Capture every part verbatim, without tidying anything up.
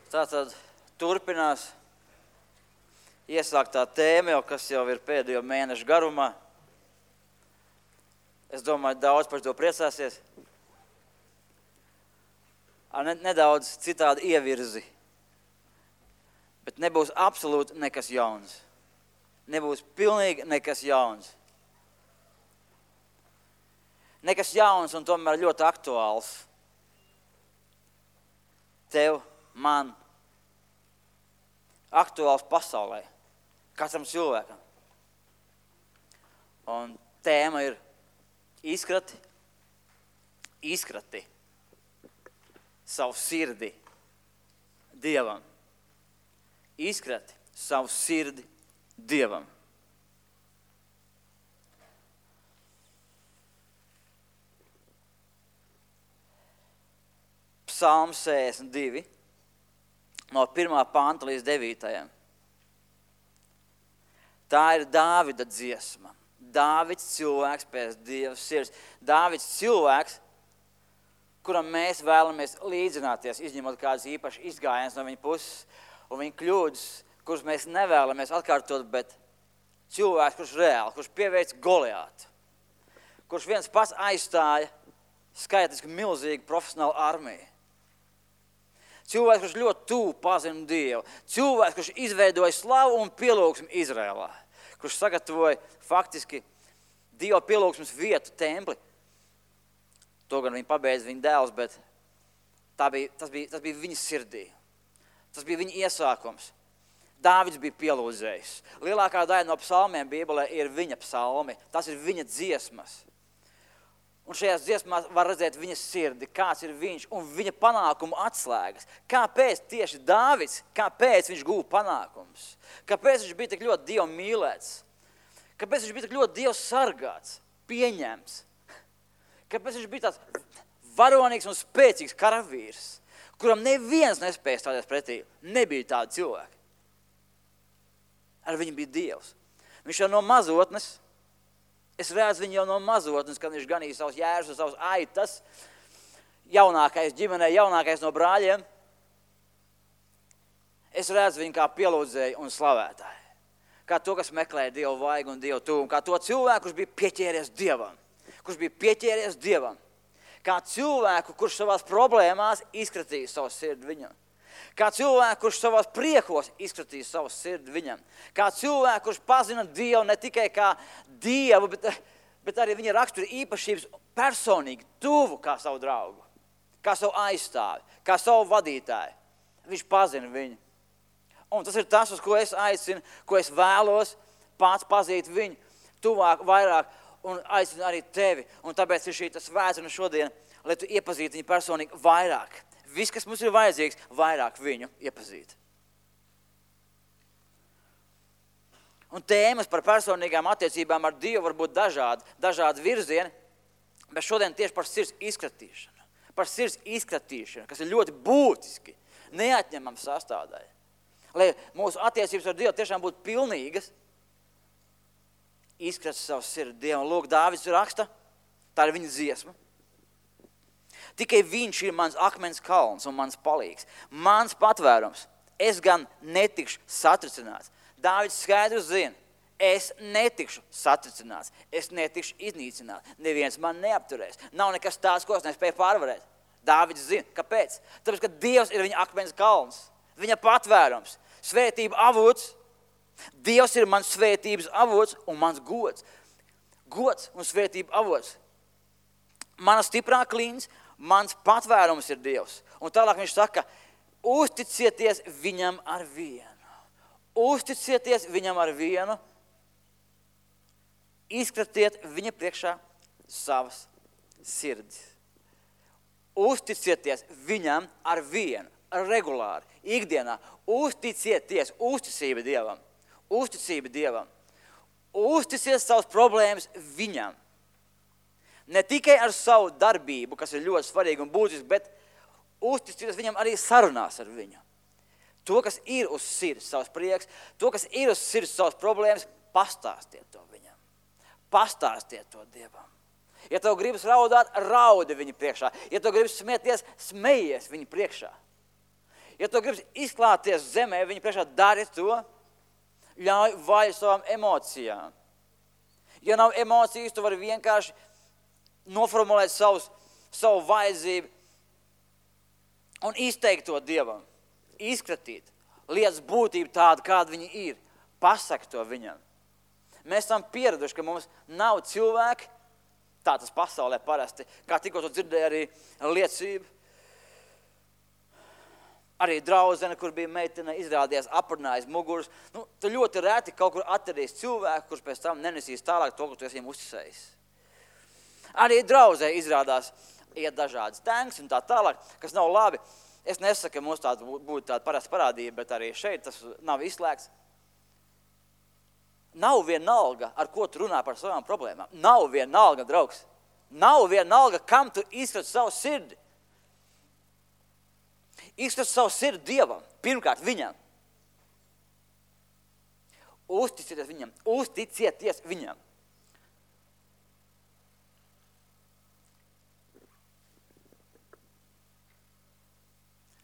Tātad turpinās iesāktā tēma, jau, kas jau ir pēdējo mēnešu garumā. Es domāju, daudz par to priecāsies. Ar nedaudz citādi ievirzi. Bet nebūs absolūti nekas jauns. Nebūs pilnīgi nekas jauns. Nekas jauns un tomēr ļoti aktuāls. Tev, man, aktuāls pasaulē, katram cilvēkam. Un tēma ir izkrati, izkrati savu sirdi Dievam. Izkrati savu sirdi Dievam. Psalms sešdesmit divi, no pirmā panta līdz devītajam. Tā ir Dāvida dziesma. Dāvids cilvēks pēc Dieva sirds. Dāvids cilvēks, kuram mēs vēlamies līdzināties, izņemot kādas īpašas izgājienas no viņa puses, un viņa kļūdas, kuras mēs nevēlamies atkārtot, bet cilvēks, kurš reāli, kurš pieveic Goliātu, kurš viens pats aizstāja skaitliski milzīgu profesionālu armiju. Cilvēks, kurš ļoti tuvu pazina Dievu. Cilvēks, kurš izveidoja slavu un pielūgsmu Izrēlā. Kurš sagatavoja faktiski Dieva pielūgsmas vietu templi. To gan viņa pabeidza viņa dēls, bet tā bija, tas, bija, tas bija viņa sirdī. Tas bija viņa iesākums. Dāvids bija pielūdzējis. Lielākā daļa no psalmiem Bībelē ir viņa psalmi. Tas ir viņa dziesmas. Un šajās dziesmās var redzēt viņa sirdi, kāds ir viņš un viņa panākumu atslēgas. Kāpēc tieši Dāvids, kāpēc viņš guva panākumus? Kāpēc viņš bija tik ļoti Dievu mīlēts? Kāpēc viņš bija tik ļoti Dievu sargāts, pieņemts? Kāpēc viņš bija tāds varonīgs un spēcīgs karavīrs, kuram neviens nespēja stāties pretī? Nebija tāda cilvēka. Ar viņu bija Dievs. Viņš jau no mazotnes, es redzu viņu jau no mazotnes, kad viņš ganīja savus jērus un savus aitas, jaunākais ģimenē, jaunākais no brāļiem. Es redzu viņu kā pielūdzēju un slavētāju. Kā to, kas meklē Dievu vaigu un Dievu tuvumu. Kā to cilvēku, kurš bija pieķēries Dievam. Kurš bija pieķēries Dievam. Kā cilvēku, kurš savās problēmās izkratīja savu sirdi viņam. Kā cilvēku, kurš savās priekos izskatīja savu sirdi viņam. Kā cilvēku, kurš pazina Dievu ne tikai kā Dievu, bet, bet arī viņa rakstura īpašības personīgi, tuvu kā savu draugu, kā savu aizstāvi, kā savu vadītāju. Viņš pazina viņu. Un tas ir tas, uz ko es aicinu, ko es vēlos pats pazīt viņu tuvāk, vairāk un aicinu arī tevi. Un tāpēc ir šī tas svētdiena šodien, lai tu iepazītu viņu personīgi vairāk. Viss, kas mums ir vajadzīgs, vairāk viņu iepazīt. Un tēmas par personīgām attiecībām ar Dievu var būt dažādi, dažādi virzieni, bet šodien tieši par sirds izkratīšanu. Par sirds izkratīšanu, kas ir ļoti būtiski, neatņemama sastāvdaļa. Lai mūsu attiecības ar Dievu tiešām būtu pilnīgas, izkrat savu sirdi Dievu. Lūk, Dāvids raksta, tā ir viņa dziesma. Tikai viņš ir mans akmens kalns un mans palīgs, mans patvērums. Es gan netikšu satricināts. Dāvids skaidrs zina, es netikšu satricināts, es netikšu iznīcināts. Neviens man neapturēs. Nav nekas tāds, ko es nespēju pārvarēt. Dāvids zina, kāpēc? Tāpēc, ka Dievs ir viņa akmens kalns, viņa patvērums, svētība avots. Dievs ir mans svētības avots un mans gods. Gods un svētība avots. Mana stiprā klīns, mans patvērums ir Dievs. Un tālāk viņš saka, uzticieties viņam ar vienu. Uzticieties viņam ar vienu. Izkratiet viņa priekšā savas sirdis. Uzticieties viņam ar vienu, regulāri, ikdienā. Uzticieties, uzticība Dievam. Uzticība Dievam. Uzticiet savas problēmas viņam. Ne tikai ar savu darbību, kas ir ļoti svarīgi un būtiski, bet uzticieties viņam arī sarunās ar viņu. To, kas ir uz sirds savs prieks, to, kas ir uz sirds savas problēmas, pastāstiet to viņam. Pastāstiet to Dievam. Ja tev gribas raudāt, raudi viņu priekšā. Ja tev gribas smieties, smejies viņu priekšā. Ja tu gribi izklāties zemē, viņi priekšā dari to, ļauj vaļu savām emocijām. Ja nav emocijas, tu vari vienkārši noformulēt savus, savu vajadzību un izteikt to Dievam. Izskatīt lietas būtību tādu, kāda viņi ir. Pasaka to viņam. Mēs esam pieraduši, ka mums nav cilvēki, tā tas pasaulē parasti, kā tikko tu dzirdēji arī liecību. Arī draudzene, kur bija meitene, izrādījās aprunājis muguras. Nu, tu ļoti reti kaut kur atradīs cilvēku, kurš pēc tam nenesīs tālāk to, ko tu esi viņam uzticējis. Arī draudzē izrādās iet dažādas tanks un tā tālāk, kas nav labi. Es nesaku, ka mums tāda būtu tāda parasta parādība, bet arī šeit tas nav izslēgts. Nav vienalga, ar ko tu runā par savām problēmām. Nav vienalga, draugs. Nav vienalga, kam tu izskati savu sirdi. Izskati savu sirdi Dievam, pirmkārt viņam. Uzticieties viņam, uzticieties viņam.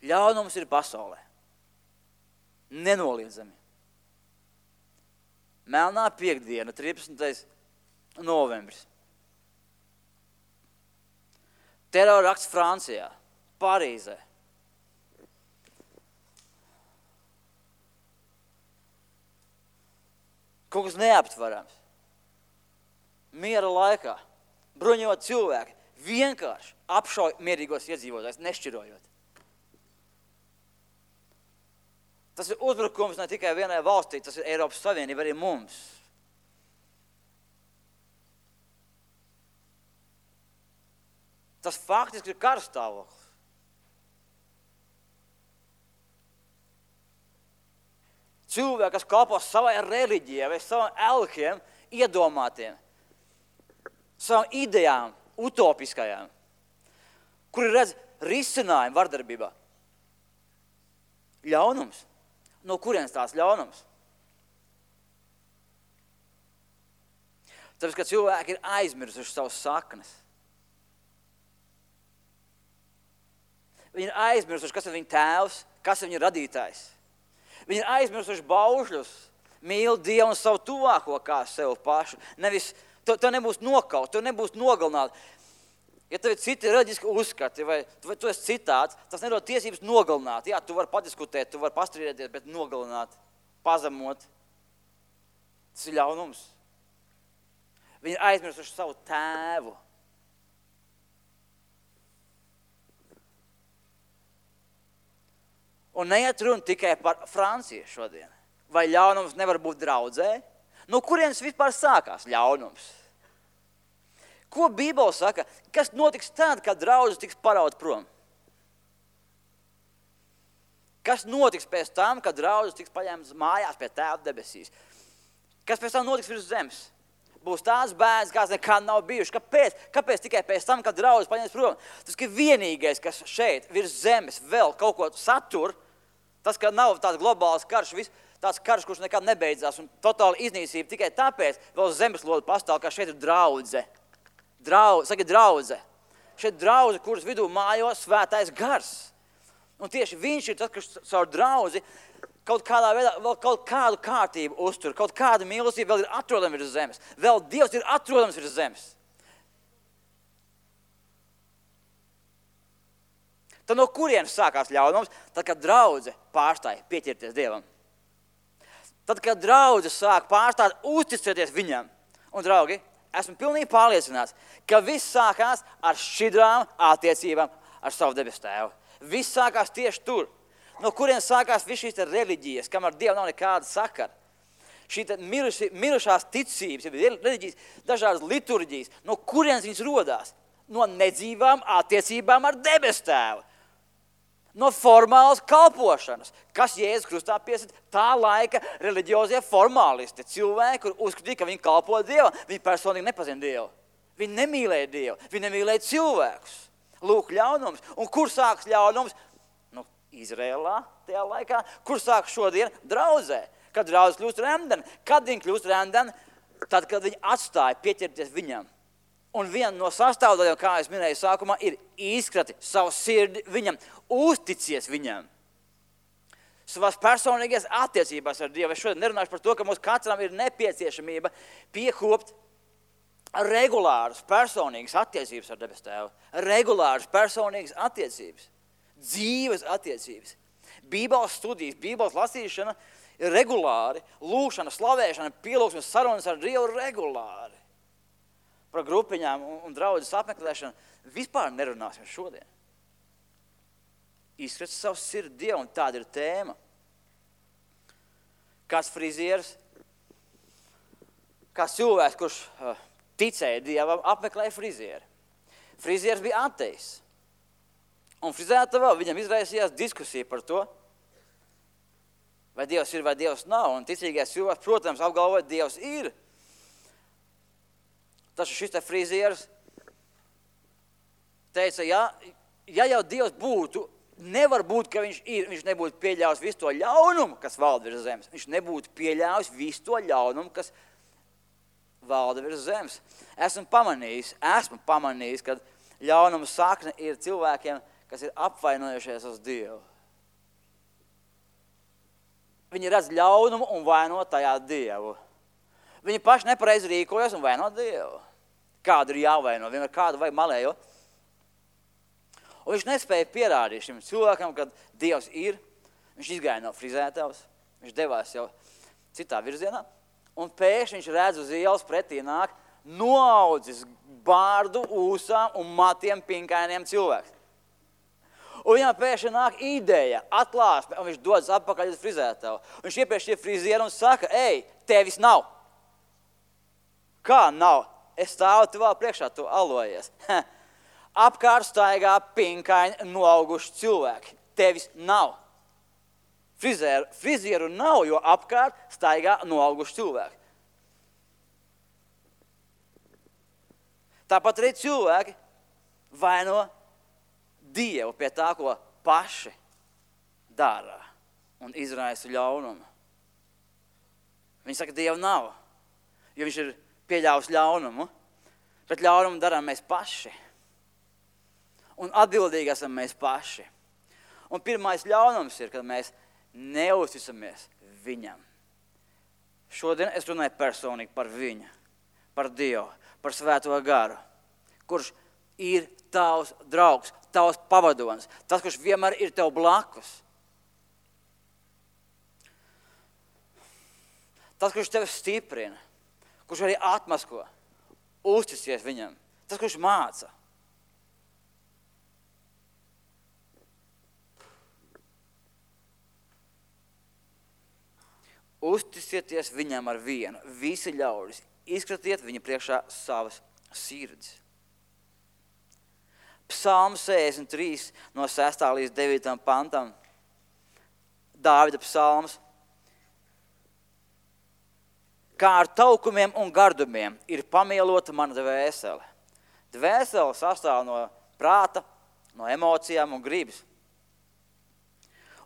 Ļaunums ir pasaulē. Nenoliedzami. Melnā piekdiena, trīspadsmitais novembris. Terorakts Francijā, Parīzē. Kaut kas neaptverams. Miera laikā bruņot cilvēki vienkārši apšauj mierīgos iedzīvotājus, nešķirojot. Tas ir uzbrukums ne tikai vienai valstī, tas ir Eiropas Savienība arī mums. Tas faktiski ir karstāvoklis. Cilvēki, kas kalpo savai reliģijai vai savam elkiem, iedomātiem, savām idejām, utopiskajām, kuri redz risinājumu vardarbībā. Ļaunums. No kurienes tās ļaunums? Tāpēc, ka cilvēki ir aizmirsuši savas saknes. Viņi ir aizmirsuši, kas ir viņa tēvs, kas ir viņa radītājs. Viņi ir aizmirsuši baušļus, mīl Dievu un savu tuvāko kā sev pašu. Nevis, to, to nebūs nokaut, to nebūs nogalināt. Ja tev ir citi reliģiski uzskati, vai, vai tu esi citāds, tas nedod tiesības nogalināt. Jā, tu vari padiskutēt, tu vari pastrīdēties, bet nogalināt, pazemot. Tas ir ļaunums. Viņi ir aizmirsuši savu tēvu. Un neiet runa tikai par Franciju šodien. Vai ļaunums nevar būt draudzē? No kurienes vispār sākās ļaunums? Ko Bībele saka? Kas notiks tad, kad draudzes tiks paraut prom? Kas notiks pēc tam, kad draudzes tiks paņemtas mājās pie Tēva debesīs? Kas pēc tam notiks virs zemes? Būs tās bērns, kāds nekad nav bijuši. Kāpēc? Kāpēc tikai pēc tam, kad draudzes paņems prom? Tas ir vienīgais, kas šeit virs zemes vēl kaut ko satur, tas, ka nav tāds globāls karš, vis, tāds karš, kurš nekad nebeidzās un totāli iznīcība tikai tāpēc vēl zemeslode pastāv, ka šeit ir draudze. Draudze, saka draudze. Šeit draudze, kuras vidū mājo svētais gars. Un tieši viņš ir tas, kas caur draudzi kaut kādā veidā vēl kaut kādu kārtību uztur, kaut kāda mīlestība vēl ir atrodama virs zemes. Vēl Dievs ir atrodams virs zemes. Tad no kurienes sākās ļaunums? Tad, kad draudze pārstāja pieķerties Dievam. Tad, kad draudze sāk pārstāt uzticēties viņam. Un, draugi, esmu pilnīgi pārliecināts, ka viss sākās ar šķidrām attiecībām ar savu debesu tēvu. Viss sākās tieši tur. No kurienes sākās viss šīs reliģijas, kam ar Dievu nav nekāda sakara. Šī miruši, mirušās ticības, reliģijas, dažādas liturģijas, no kurienes viņas rodās? No nedzīvām attiecībām ar debesu tēvu. No formālas kalpošanas, kas Jēzus Krustā piesit tā laika reliģiozie formālisti, cilvēki, kur uzskatīja, ka viņi kalpo Dievam, viņi personīgi nepazina Dievu. Viņi nemīlēja Dievu, viņi nemīlēja cilvēkus. Lūk, ļaunums. Un kur sāks ļaunums? Nu, Izrēlā tajā laikā. Kur sāks šodien? Draudzē. Kad draudzes kļūst remdeni. Kad viņi kļūst remdeni? Tad, kad viņi atstāja pieķerties viņam. Un viena no sastāvdaļām, kā es minēju sākumā, ir izkrati savu sirdi viņam, uzticies viņam. savās personīgās attiecībās ar Dievu. Es šodien nerunāšu par to, ka mums katram ir nepieciešamība piekopt regulāras personīgas attiecības ar debes Tēvu. Regulāras personīgas attiecības. Dzīves attiecības. Bībeles studijas, Bībeles lasīšana ir regulāri. Lūšana, slavēšana, pielūgsmes sarunas ar Dievu regulāri. Par grupiņām un, un draudzes apmeklēšanu vispār nerunāsim šodien. Izskats savu sirdi Dievu, un tāda ir tēma. Kāds frizieris, kāds cilvēks, kurš uh, ticēja Dievam, apmeklēja frizieri. Frizieris bija ateis. Un frizētavā viņam izraisījās diskusija par to, vai Dievs ir, vai Dievs nav. Un ticīgais cilvēks, protams, apgalvoja, Dievs ir. Taču šis te frizieris teica, ja, ja jau Dievs būtu, nevar būt, ka viņš ir, viņš nebūtu pieļāvis visu to ļaunumu, kas valda virs zemes. Viņš nebūtu pieļāvis visu to ļaunumu, kas valda virs zemes. Esmu pamanījis, esmu pamanījis, ka ļaunuma sakne ir cilvēkiem, kas ir apvainojušies uz Dievu. Viņi redz ļaunumu un vaino tajā Dievu. Viņi paši nepareizi rīkojas un vaino Dievu. Kādu ir jāvaino, vienmēr kādu vai malējo. Un viņš nespēja pierādīt šim cilvēkam, kad Dievs ir. Viņš izgāja no frizētavas, viņš devās jau citā virzienā. Un pēkšņi viņš redz uz ielas pretī nāk noaudzis bārdu ūsām un matiem pinkainiem cilvēks. Un viņam pēkšņi nāk ideja, atklāsme, un viņš dodas atpakaļ uz frizētavu. Un viņš iepriekš šie frizieri un saka, ej, tevis nav. Kā nav? Es stāvu tuvā priekšā, tu alojies. Apkārt staigā pinkaini noauguši cilvēki. Tevis nav. Frizieru, frizieru nav, jo apkārt staigā noauguši cilvēki. Tāpat arī cilvēki vaino Dievu pie tā, ko paši dara un izraisa ļaunumu. Viņi saka, Dievu nav, jo viņš ir pieļāvis ļaunumu, bet ļaunumu darām mēs paši. Un atbildīgi esam mēs paši. Un pirmais ļaunums ir, kad mēs neusticamies viņam. Šodien es runāju personīgi par viņu, par Dievu, par Svēto garu, kurš ir tavs draugs, tavs pavadonis, tas, kurš vienmēr ir tev blakus. Tas, kurš tevi stiprina, kurš arī atmasko, uzticēs viņam, tas, kurš māca. Uzticieties viņam ar vienu, visi ļaudis, izkratiet viņa priekšā savas sirds. Psalms sešdesmit trīs no sestā līdz devītam pantam, Dāvida psalms. Kā ar taukumiem un gardumiem ir pamielota mana dvēsele. Dvēsele sastāv no prāta, no emocijām un gribas.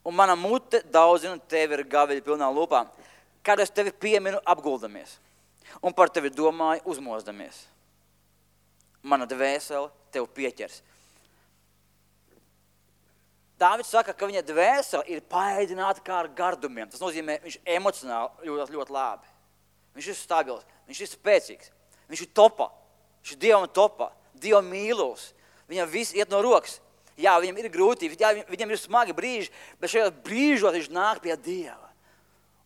Un mana mute daudzina tevi ar gaviļu pilnām lūpām, kad es tevi pieminu apguldamies un par tevi domāju uzmozdamies. Mana dvēsele tev pieķers. Dāvids saka, ka viņa dvēsele ir paēdināta kā ar gardumiem. Tas nozīmē, viņš emocionāli ļoti, ļoti labi. Viņš ir stabils, viņš ir spēcīgs, viņš ir topā, viņš ir Dievam topā, Dievam mīlos. Viņam viss iet no rokas. Jā, viņam ir grūtības, jā, viņam ir smagi brīži, bet šajos brīžos viņš nāk pie Dieva.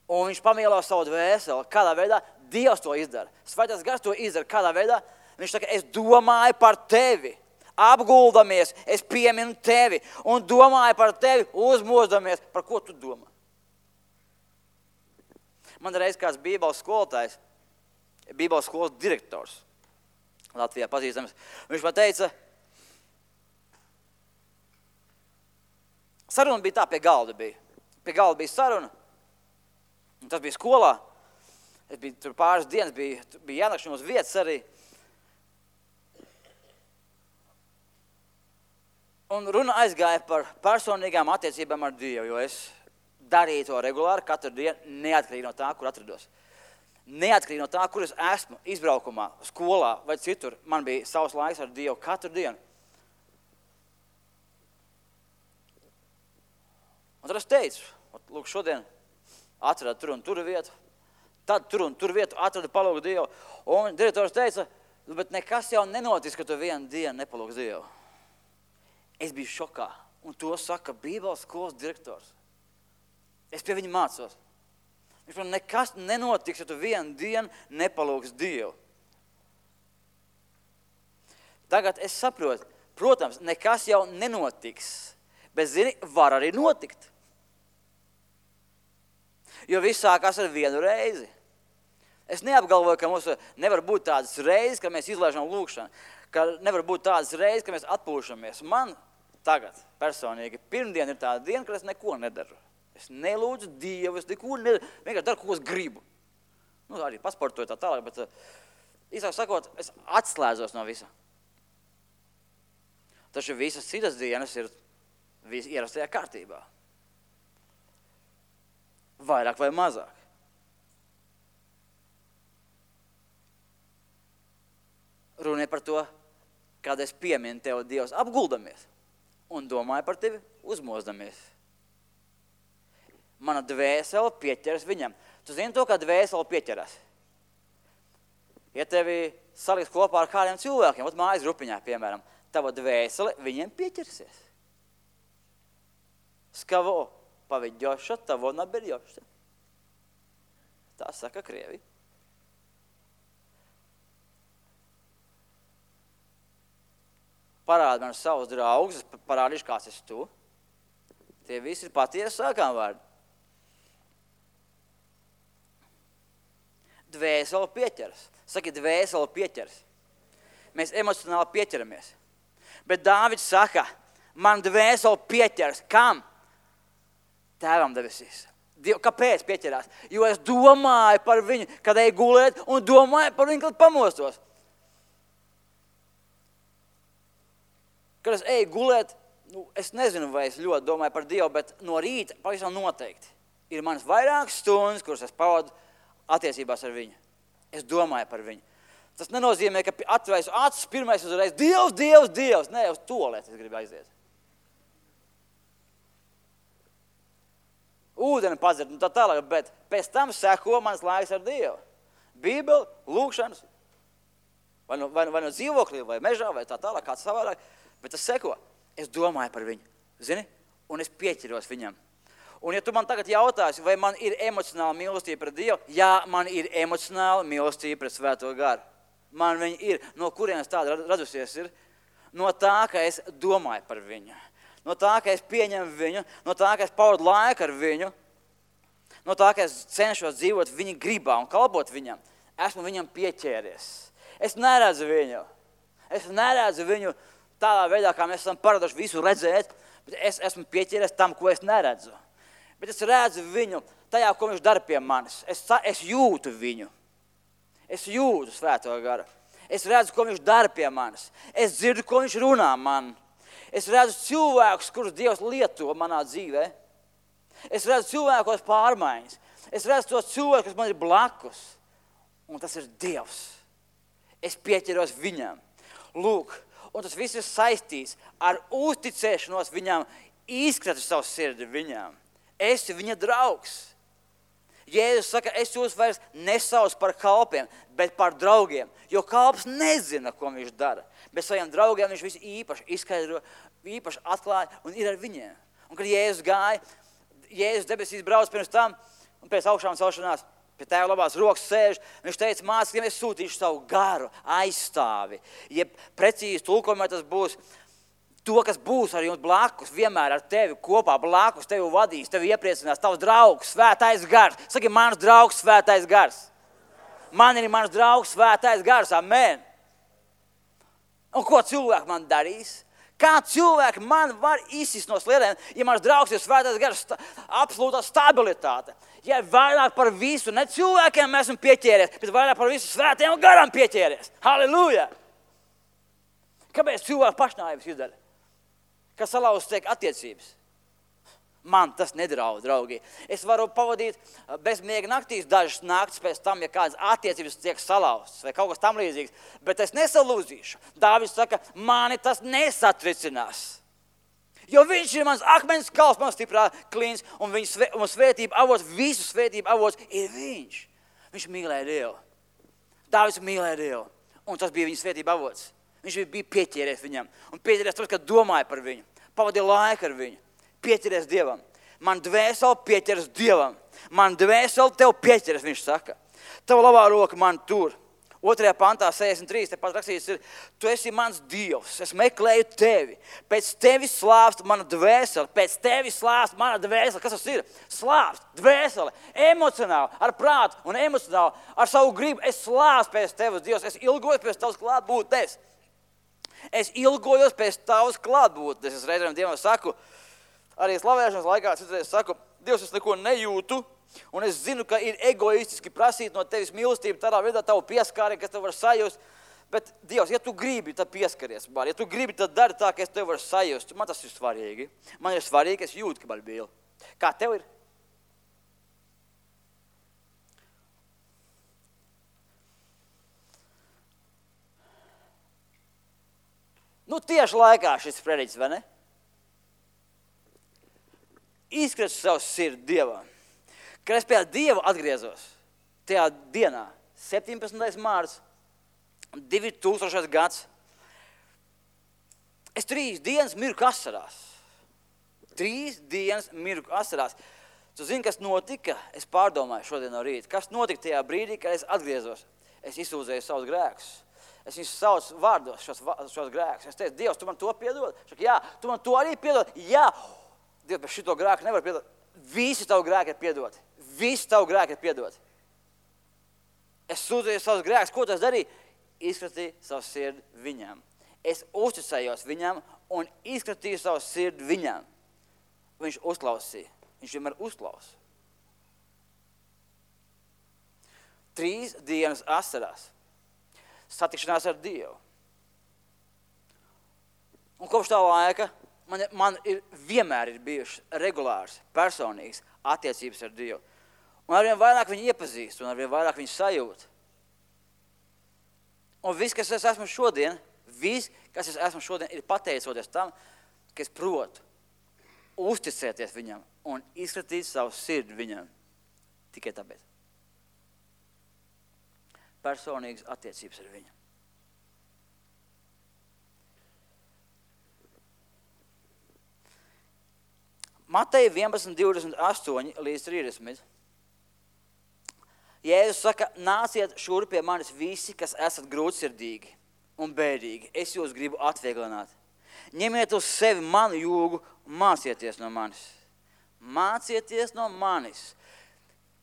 Un viņš pamielo savu dvēseli. Kādā veidā? Dievs to izdara. Svētais gars to izdara. Kādā veidā? Viņš saka, es domāju par tevi. Apguldamies, es pieminu tevi un domāju par tevi, uzmozdamies. Par ko tu domā? Man reiz kāds bībeles skolotājs, bībeles skolas direktors Latvijā pazīstams, viņš man teica, saruna bija tā, pie galda bija. Pie galda bija saruna, un tas bija skolā. Es biju tur pāris dienas, bija, bija jānakšana uz vietas arī. Un runa aizgāja par personīgām attiecībām ar Dievu, jo es darīju to regulāri katru dienu, neatkarīgi no tā, kur atrados. Neatkarīgi no tā, kur es esmu, izbraukumā, skolā vai citur, man bija savs laiks ar Dievu katru dienu. Un tad es teicu, lūk, šodien atrada tur un tur vietu, tad tur un tur vietu atrada palūgt Dievu. Un direktors teica, bet nekas jau nenotiks, ka tu vienu dienu nepalūgs Dievu. Es biju šokā, un to saka Bībeles skolas direktors. Es pie viņa mācos. Viņš man nekas nenotiks, ja tu vienu dienu nepalūgs Dievu. Tagad es saprotu, protams, nekas jau nenotiks, bet, zini, var arī notikt. Jo viss sākās ar vienu reizi. Es neapgalvoju, ka mums nevar būt tādas reizes, ka mēs izlaižam lūkšanu, ka nevar būt tādas reizes, ka mēs atpūšamies. Man tagad personīgi pirmdien ir tāda diena, kad es neko nedaru. Es nelūdzu Dievu, es neko nedaru, vienkārši daru, ko es gribu. Nu, arī pasportoju tā tālāk, bet īsāk sakot, es atslēdzos no visa. Taču visas citas dienas ir ierastajā kārtībā. Vairāk vai mazāk. Runa par to, kad es pieminu tev, Dievs, apguldamies un domāju par tevi uzmozdamies. Mana dvēsele pieķeras viņam. Tu zini to, kā dvēsele pieķeras? Ja tevi saliks kopā ar kādiem cilvēkiem, ot mājas grupiņā, piemēram, tava dvēsele viņiem pieķersies. С кого поведешься, того наберешься. Tā saka Krievi. Parādi man savus draugus, parādīšu, kāds esi tu. Tie visi ir patiesi sākām vārdi. Dvēsele pieķeras. Saki, dvēsele pieķeras. Mēs emocionāli pieķeramies. Bet Dāvids saka, man dvēsele pieķeras. Kam? Tēvam debesīs. Diev, kāpēc pieķerās? Jo es domāju par viņu, kad eju gulēt, un domāju par viņu, kad pamostos. Kad es eju gulēt, nu, es nezinu, vai es ļoti domāju par Dievu, bet no rīta pavisam noteikti ir manas vairākas stundas, kuras es pavadu attiecībās ar viņu. Es domāju par viņu. Tas nenozīmē, ka atveisu acis pirmais uzreiz, Dievs, Dievs, Dievs. Nē, uz tualeti es gribu aiziet. Ūdeni padzert un tā tālāk, bet pēc tam seko mans laiks ar Dievu. Bībeli, lūkšanas, vai no, vai, vai no dzīvoklī, vai mežā, vai tā tālāk, kāds savādāk, bet tas seko. Es domāju par viņu, zini, un es pieķiros viņam. Un ja tu man tagad jautāsi, vai man ir emocionāla mīlestība pret Dievu, jā, man ir emocionāla mīlestība pret Svēto garu. Man viņa ir. No kurienes tāda radusies ir? No tā, ka es domāju par viņu. No tā, ka es pieņemu viņu, no tā, ka es pavadu laiku ar viņu, no tā, ka es cenšos dzīvot viņa gribā un kalpot viņam, esmu viņam pieķēries. Es neredzu viņu. Es neredzu viņu tādā veidā, kā mēs esam paraduši visu redzēt, bet es esmu pieķēries tam, ko es neredzu. Bet es redzu viņu tajā, ko viņš dara pie manis. Es, es jūtu viņu. Es jūtu Svēto garu. Es redzu, ko viņš dara pie manis. Es dzirdu, ko viņš runā man. Es redzu cilvēkus, kurus Dievs lieto manā dzīvē. Es redzu cilvēkos pārmaiņas. Es redzu tos cilvēkus, kas man ir blakus. Un tas ir Dievs. Es pieķeros viņam. Lūk, un tas viss ir saistīts ar uzticēšanos viņam, izkratu savu sirdi viņam. Esi viņa draugs. Jēzus saka, es jūs vairs nesaucu par kalpiem, bet par draugiem. Jo kalps nezina, ko viņš dara. Bet saviem draugiem viņš visu īpaši izskaidro, īpaši atklāja un ir ar viņiem. Un kad Jēzus gāja, Jēzus debesīs brauc pirms tam un pēc augšām celšanās, pie tēva labās rokas sēž, viņš teica, mācekļiem, es sūtīšu savu garu aizstāvi. Ja precīzi tulkojumā tas būs to, kas būs ar jums blakus, vienmēr ar tevi kopā blakus, tevi vadīs, tevi iepriecinās, tavs draugs, Svētais gars. Saki, mans draugs, Svētais gars. Man ir mans draugs, Svētais gars. Amen. Un ko cilvēki man darīs? Kā cilvēki man var izsist no sliedēm, ja mans draugs ir Svētais gars, sta, absolūtā stabilitāte. Ja vairāk par visu, ne cilvēkiem mēs esam pieķēries, bet vairāk par visu Svētajam garam pieķēries. Halleluja! Kāpēc cilvēki pašnāvības izdara? Kas salauz tiek attiecības? Man tas nedraud, draugi. Es varu pavadīt bezmiega naktīs dažas naktis pēc tam, ja kādas attiecības tiek salauztas vai kaut kas tam līdzīgs, bet es nesalūzīšu. Dāvids saka, mani tas nesatricinās. Jo viņš ir mans akmens kalps, mans stiprā klīns, un viņa svē, un svētība avots, visu svētību avots ir viņš. Viņš mīlēja Dievu. Dāvids mīlēja Dievu, un tas bija viņa svētība avots. Viņš bija pieķēries viņam, un pieķēries tas, kad domāja par viņu, pavadīja laiku ar viņu, pieķēries Dievam. Man dvēseli pieķeras Dievam, man dvēseli tev pieķeras, viņš saka. Tava labā roka man tur. Otrajā pantā, sešdesmit trīs, tepat rakstīts ir, tu esi mans Dievs, es meklēju tevi, pēc tevi slāpst mana dvēsele, pēc tevi slāpst mana dvēsele. Kas tas ir? Slāpst, dvēsele, emocionāli, ar prātu un emocionāli, ar savu gribu. Es slāpstu pēc tevis, Dievs, es ilgojos pēc tavas klātbūtnes. Es ilgojos pēc tavas klātbūtnes. Es reizēm Dievam saku, arī slavēšanas laikā citreiz saku, Dievs, es neko nejūtu, un es zinu, ka ir egoistiski prasīt no tevis mīlestību, tādā veidā tavu pieskāri, kas tev var sajust. Bet, Dievs, ja tu gribi, tad pieskaries. Bar. Ja tu gribi, tad dari tā, ka es tev varu sajust. Man tas ir svarīgi. Man ir svarīgi, ka es jūtu, ka man mīl. Kā tev ir? Nu, tieši laikā šis prediķis, vai ne? Izskries savu sirdi Dievam. Kad es pie Dieva atgriezos, tajā dienā, septiņpadsmitais mārts, divi tūkstošais gads, es trīs dienas mirku asarās. Trīs dienas mirku asarās. Tu zini, kas notika? Es pārdomāju šodien no rīta. Kas notika tajā brīdī, kad es atgriezos? Es izsūdzēju savus grēkus. Es viņus saucu vārdos, šos, šos grēkus. Es teicu, Dievs, tu man to piedod? Šaka, jā, tu man to arī piedod? Jā, Dievs, bet šito grēku nevar piedot. Visi tavu grēku ir piedoti. Visi tavu grēku ir piedoti. Es sūdzēju savus grēkus. Ko tas darīja? Izkratīju savu sirdi viņam. Es uzticējos viņam un izkratīju savu sirdi viņam. Viņš uzklausīja. Viņš vienmēr uzklausa. Trīs dienas asarās. Satikšanās ar Dievu. Un kopš tā laika man, man ir, vienmēr ir bijušas regulāras, personīgas attiecības ar Dievu. Un arvien vairāk viņu iepazīst, un arvien vairāk viņu sajūt. Un viss, kas es esmu šodien, viss, kas es esmu šodien, ir pateicoties tam, ka es protu uzticēties viņam un izskatīt savu sirdi viņam. Tikai tāpēc. Personīgas attiecības ar viņu. Mateja vienpadsmit, divdesmit astoņi līdz trīsdesmit. Jēzus saka, nāciet šur pie manis visi, kas esat grūtsirdīgi un bēdīgi. Es jūs gribu atvieglināt. Ņemiet uz sevi manu jūgu un mācieties no manis. Mācieties no manis.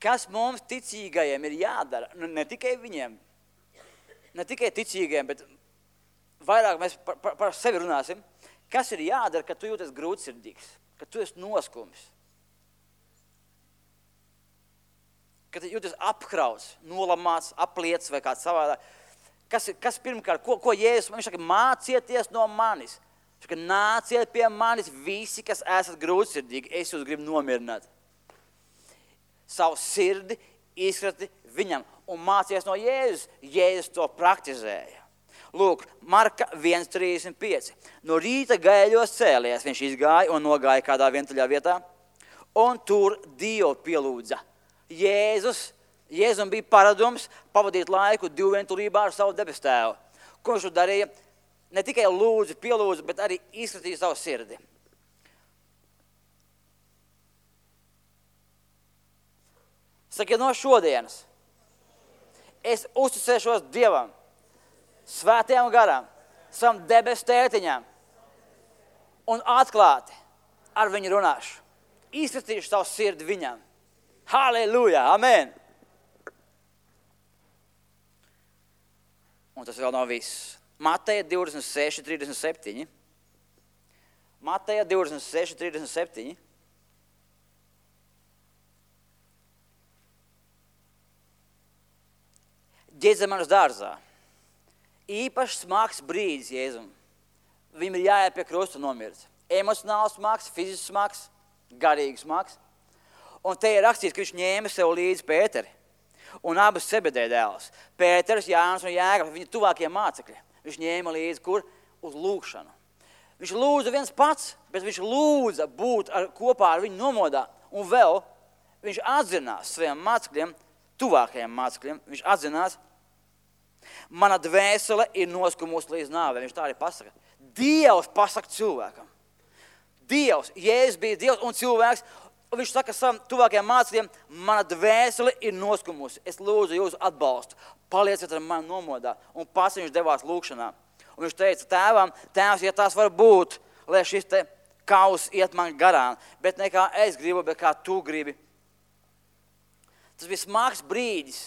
Kas mums ticīgajiem ir jādara? Nu, ne tikai viņiem, ne tikai ticīgajiem, bet vairāk mēs par, par, par sevi runāsim. Kas ir jādara, kad tu jūties grūtsirdīgs, kad tu esi noskums? Kad jūties apkrauts, nolamāts, apliets vai kāds savādāk. Kas, kas pirmkārt, ko, ko Jēzus, viņš saka, mācieties no manis. Viņš saka, nāciet pie manis visi, kas esat grūtsirdīgi, es jūs gribu nomierināt. Savu sirdi izkrati viņam un mācies no Jēzus. Jēzus to praktizēja. Lūk, Marka viens trīsdesmit pieci. No rīta gaļos cēlies, viņš izgāja un nogāja kādā vientuļā vietā, un tur Dievu pielūdza. Jēzus, Jēzum bija paradums pavadīt laiku divvientulībā ar savu debes tēvu. Ko viņš darīja? Ne tikai lūdzu, pielūdzu, bet arī izskatīja savu sirdi. Saka, no šodienas es uzticēšos Dievam, svētajam garam, savam debes tētiņam un atklāti ar viņu runāšu. Izskatīšu savu sirdi viņam. Halleluja, amen. Un tas vēl nav viss. Mateja divdesmit seši, trīsdesmit septiņi. Mateja divdesmit seši, trīsdesmit septiņi. Ģezemanas dārzā. Īpaši smags brīdis Jēzum. Viņam ir jāiet pie krusta nomirt. Emocionāls smags, fizisks smags, garīgs smags. Un te ir rakstīts, ka viņš ņēma sev līdzi Pēteri un abas Sebedēja dēlus. Pēters, Jānis un Jēkabs, viņa tuvākie mācekļi. Viņš ņēma līdzi kur? Uz lūkšanu. Viņš lūdza viens pats, bet viņš lūdza būt ar, kopā ar viņu nomodā. Un vēl viņš atzinās saviem mācekļiem, tuvākajiem mācekļiem, viņš atzinās, mana dvēsele ir noskumusi līdz nāvei. Viņš tā arī pasaka. Dievs pasaka cilvēkam. Dievs, Jēzus bija Dievs un cilvēks. Un viņš saka savam tuvākajiem mācekļiem, mana dvēsele ir noskumusi. Es lūdzu jūsu atbalstu. Palieciet ar mani nomodā. Un pats viņš devās lūkšanā. Un viņš teica tēvam, tēvs, ja tās var būt, lai šis te kaus iet man garām. Bet ne kā es gribu, bet kā tu gribi. Tas bija smags brīdis,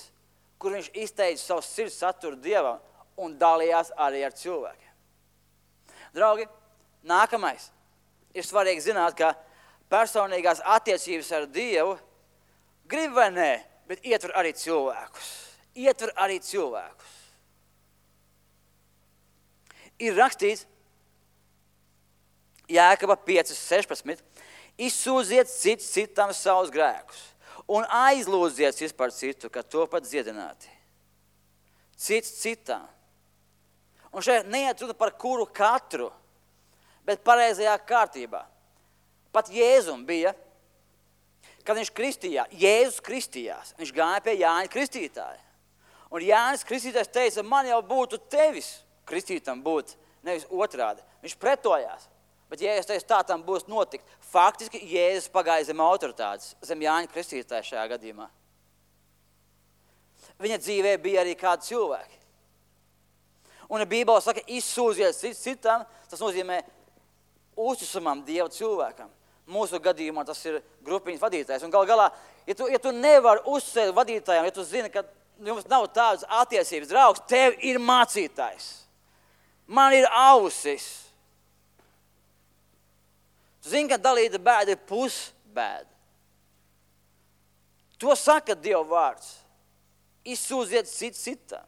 kur viņš izteica savu sirds saturu Dievam un dalījās arī ar cilvēkiem. Draugi, nākamais. Ir svarīgi zināt, ka personīgās attiecības ar Dievu grib vai nē, bet ietver arī cilvēkus. Ietver arī cilvēkus. Ir rakstīts Jēkaba pieci sešpadsmit. Izsūdziet cits citam savus grēkus un aizlūdziet cits par citu, ka to pat dziedināti. Cits citam. Un šeit neiet runa par kuru katru, bet pareizajā kārtībā. Pat Jēzum bija, kad viņš kristījās, Jēzus kristījās, viņš gāja pie Jāņa Kristītāja. Un Jānis Kristītājs teica, man jau būtu tevis kristītam būt, nevis otrādi. Viņš pretojās, bet Jēzus teica, tā tam būs notikt. Faktiski Jēzus pagāja zem autoritātes, zem Jāņa Kristītāja šajā gadījumā. Viņa dzīvē bija arī kādi cilvēki. Un Bībele saka, izsūdziet cits citam, tas nozīmē uzticamam Dieva cilvēkam. Mūsu gadījumā tas ir grupiņas vadītājs. Un gal galā, ja tu, ja tu nevari uzsēst vadītājiem, ja tu zini, ka jums nav tādas attiecības, draugs, tev ir mācītājs. Man ir ausis. Tu zini, ka dalīta bēda ir pusbēda. To saka Dieva vārds. Izsūdziet cits citam.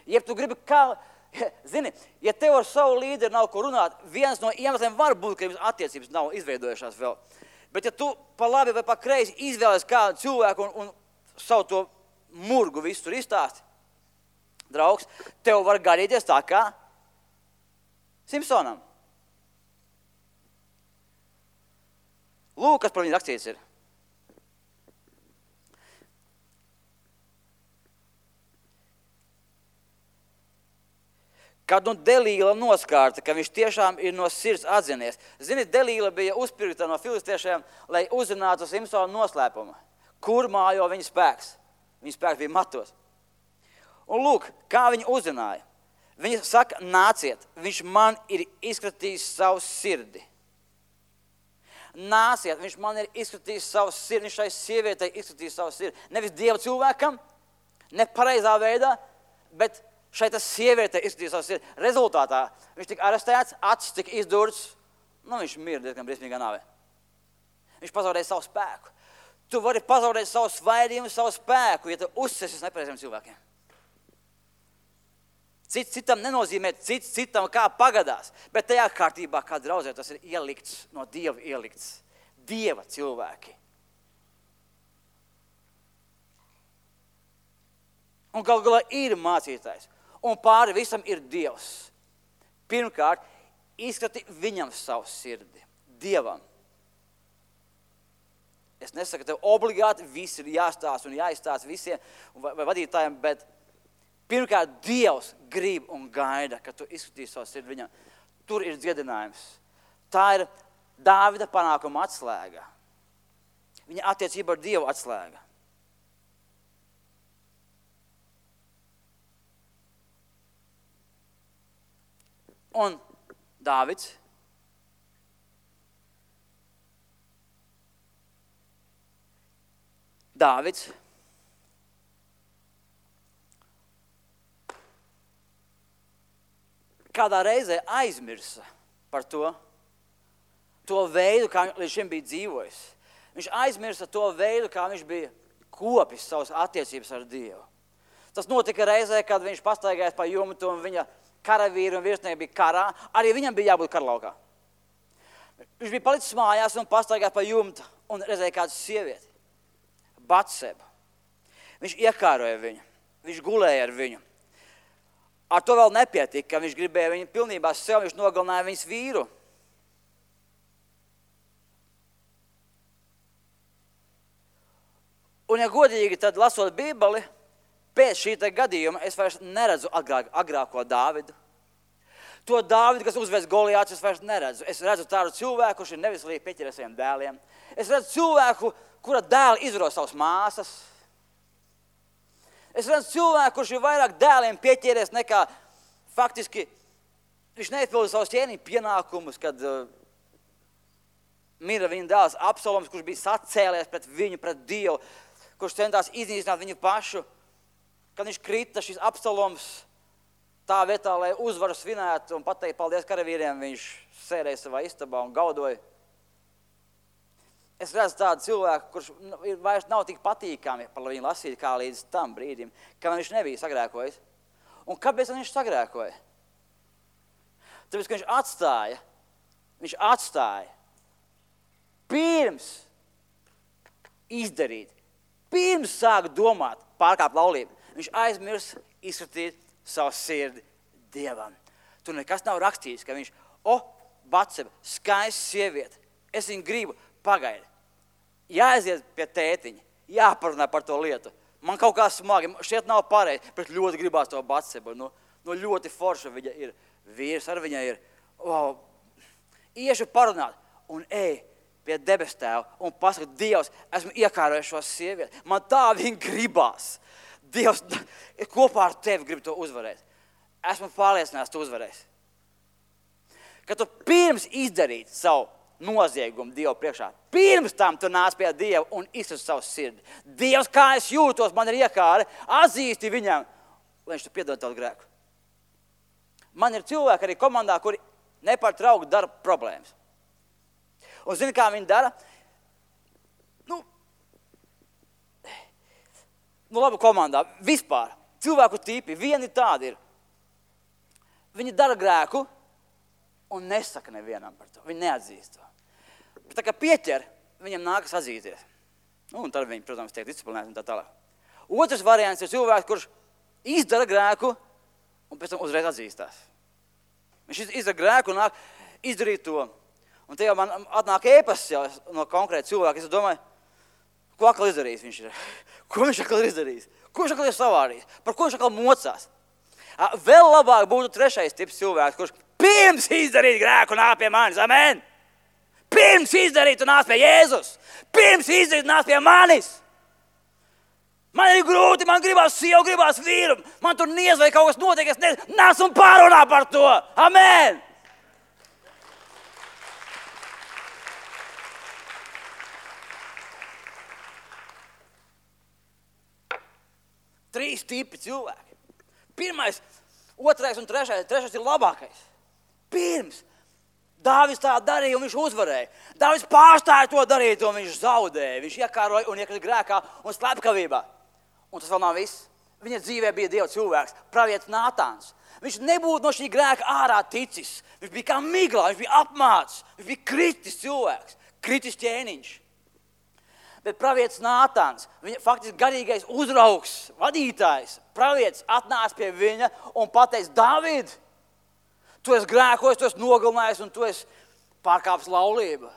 Ja tu gribi kā... Zini, ja tev ar savu līderi nav ko runāt, viens no iemesliem var būt, ka jums attiecības nav izveidojušās vēl. Bet ja tu pa labi vai pa kreisi izvēlies kādu cilvēku un, un savu to murgu visu tur izstāsti, draugs, tev var garīties tā kā Simpsonam. Lūk, kas par viņu rakstīts ir. Kad nu Delīla noskārta, ka viņš tiešām ir no sirds atzinies. Zini, Delīla bija uzpirkta no filistiešiem, lai uzzinātu Simpsona noslēpumu. Kur mājo viņa spēks? Viņa spēks bija matos. Un lūk, kā viņa uzzināja. Viņa saka, nāciet, viņš man ir izskatījis savu sirdi. Nāciet, viņš man ir izskatījis savu sirdi, viņš šai sievietei izskatījis savu sirdi. Nevis Dieva cilvēkam, ne pareizā veidā, bet šai tas sieviete izskatījās savu sirdi. Rezultātā viņš tika arestēts, acis tika izdurts, nu viņš mira diezgan briesmīgā nāvē. Viņš pazaudēja savu spēku. Tu vari pazaudēt savu svaidījumu, savu spēku, ja tu uzsesies nepareiziem cilvēkiem. Cits citam nenozīmē cits citam kā pagadās, bet tajā kārtībā, kā draudzē, tas ir ielikts, no Dieva ielikts. Dieva cilvēki. Un gal galā ir mācītājs. Un pāri visam ir Dievs. Pirmkārt, izskati viņam savu sirdi. Dievam. Es nesaku, ka tev obligāti viss ir jāstāsta un jāizstāsta visiem vai, vai vadītājiem, bet pirmkārt, Dievs grib un gaida, ka tu izskatīsi savu sirdi viņam. Tur ir dziedinājums. Tā ir Dāvida panākuma atslēga. Viņa attiecība ar Dievu atslēga. Un Dāvids Dāvids kādā reizē aizmirsa par to, to veidu, kā viņš līdz šim bija dzīvojis. Viņš aizmirsa to veidu, kā viņš bija kopis savas attiecības ar Dievu. Tas notika reizē, kad viņš pastaigājās pa jumtu un viņa karavīri un virsnieki bija karā, arī viņam bija jābūt karlaukā. Viņš bija palicis mājās un pastaigājās pa jumtu un redzēja kādu sievieti, Batsebu. Viņš iekāroja viņu, viņš gulēja ar viņu. ar to vēl nepietika, ka viņš gribēja viņu pilnībā sev, viņš nogalināja viņas vīru. Un, ja godīgi, tad lasot Bībeli, pēc šī te gadījuma es vairs neredzu agrāk, agrāko Dāvidu. To Dāvidu, kas uzveic Goliātu, es vairs neredzu. Es redzu tādu cilvēku, kurš ir nevislīgi pieķeries saviem dēliem. Es redzu cilvēku, kura dēli izvaro savas māsas. Es redzu cilvēku, kurš ir vairāk dēliem pieķeries nekā faktiski viņš neizpilda savus ķēniņu pienākumus, kad uh, mira viņa dēls Absaloms, kurš bija sacēlies pret viņu, pret Dievu, kurš centās iznīcināt viņu pašu. Kad viņš krita, šis Absaloms, tā vietā, lai uzvaru svinētu un pateikt paldies karavīriem, viņš sēdēja savā istabā un gaudoja. Es redzu tādu cilvēku, kurš vairs nav tik patīkami par viņu lasīt, kā līdz tam brīdim, ka viņš nebija sagrēkojis. Un kāpēc viņš sagrēkoja? Tāpēc, ka viņš atstāja, viņš atstāja pirms izdarīt, pirms sāk domāt, pārkāpt laulību. Viņš aizmirs izskatīt savu sirdi Dievam. Tur nekas nav rakstīts, ka viņš, o, Batseba, skaista sieviete, es viņu gribu, pagaidi. Jāaiziet pie tētiņa, jāparunā par to lietu. Man kaut kā smagi, šeit nav pareizi, bet ļoti gribās to Batsebu. Nu, nu ļoti forša viņa ir, vīrs ar viņa ir. Wow. Iešu parunāt un ej pie debes tēva un pasaka, Dievs, esmu iekārojis šo sievieti. Man tā viņa gribās. Dievs, kopā ar tevi grib to uzvarēt. Esmu pārliecināts, tu uzvarēsi. Kad tu pirms izdarīt savu noziegumu Dievu priekšā, pirms tam tu nāc pie Dieva un izsaka savu sirdi. Dievs, kā es jūtos, man ir iekāre, atzīsti viņam, lai viņš tu piedod tavu grēku. Man ir cilvēki arī komandā, kuri nepārtraukti dara problēmas. Un zini, kā viņi dara? Nu, nu labi komandā, vispār, cilvēku tipi, vieni tādi ir. Viņi dara grēku un nesaka nevienam par to. Viņi neatzīst to. Bet tā kā pieķer, viņam nākas atzīties. Nu, un tad viņi, protams, tiek disciplinēti un tā tālāk. Otrs variants ir cilvēks, kurš izdara grēku un pēc tam uzreiz atzīstās. Viņš izdara grēku un nāk izdarīt to. Un te jau man atnāk ēpasts jau no konkrēta cilvēka. Es domāju, ko atkal izdarījis viņš ir? Ko viņš atkal ir izdarījis? Ko viņš atkal ir savārījis? Par ko viņš atkal mocās? Vēl labāk būtu trešais tips cilvēks, kurš pirms izdarīt grēku nāk pie manis. Amen! Pirms izdarīt un nāk pie Jēzus. Pirms izdarīt un nāk pie manis. Man ir grūti, man gribās sievu, gribās vīru. Man tur niez vai kaut kas notiek, es nezinu. Nāc un pārunā par to. Amen! Trīs tipi cilvēki. Pirmais, otrais un trešais. Trešais ir labākais. Pirms Dāvids tā darīja un viņš uzvarēja. Dāvids pārstāja to darīt un viņš zaudēja. Viņš iekāroja un iekrita grēkā un slepkavībā. Un tas vēl nav viss. Viņa dzīvē bija Dieva cilvēks, pravietis Nātāns. Viņš nebūtu no šī grēka ārā ticis. Viņš bija kā miglā, viņš bija apmācis. Viņš bija kritis cilvēks, kritis ķēniņš. Bet pravietis Nātāns, viņa faktiski garīgais uzraugs, vadītājs, pravietis atnāca pie viņa un pateica, Dāvid, tu esi grēkojis, tu esi nogalinājis un tu esi pārkāpis laulību.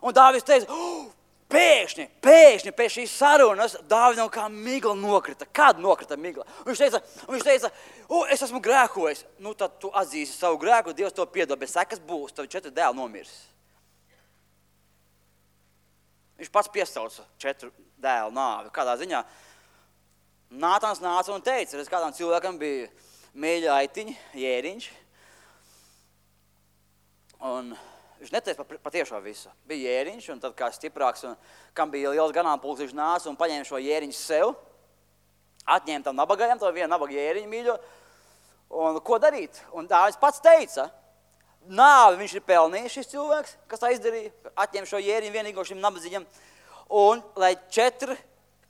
Un Dāvids teica, oh, pēkšņi, pēkšņi pēc šīs sarunas Dāvidam kā migla nokrita. Kad nokrita migla? Un viņš teica, un viņš teica oh, es esmu grēkojis. Nu, tad tu atzīsi savu grēku, Dievs to piedod, bet sekas būs, tavi četri dēli nomirs. Viņš pats piesauca četru dēlu nāvi. Kādā ziņā Nātāns nāca un teica, redz, kādām cilvēkam bija mīļa aitiņi, jēriņš. Un viņš neteica par, par tiešo visu. Bija jēriņš, un tad kā stiprāks, un kam bija liels ganāmpulks, viņš nāca un paņēma šo jēriņu sev, atņēma tam nabagajam, to vienu nabaga jēriņu mīļo, un ko darīt? Un Dāvids pats teica, nāvi viņš ir pelnījis šis cilvēks, kas tā izdarīja, atņēma šo jēriņu vienīgo šim nabadzīgam, un lai četri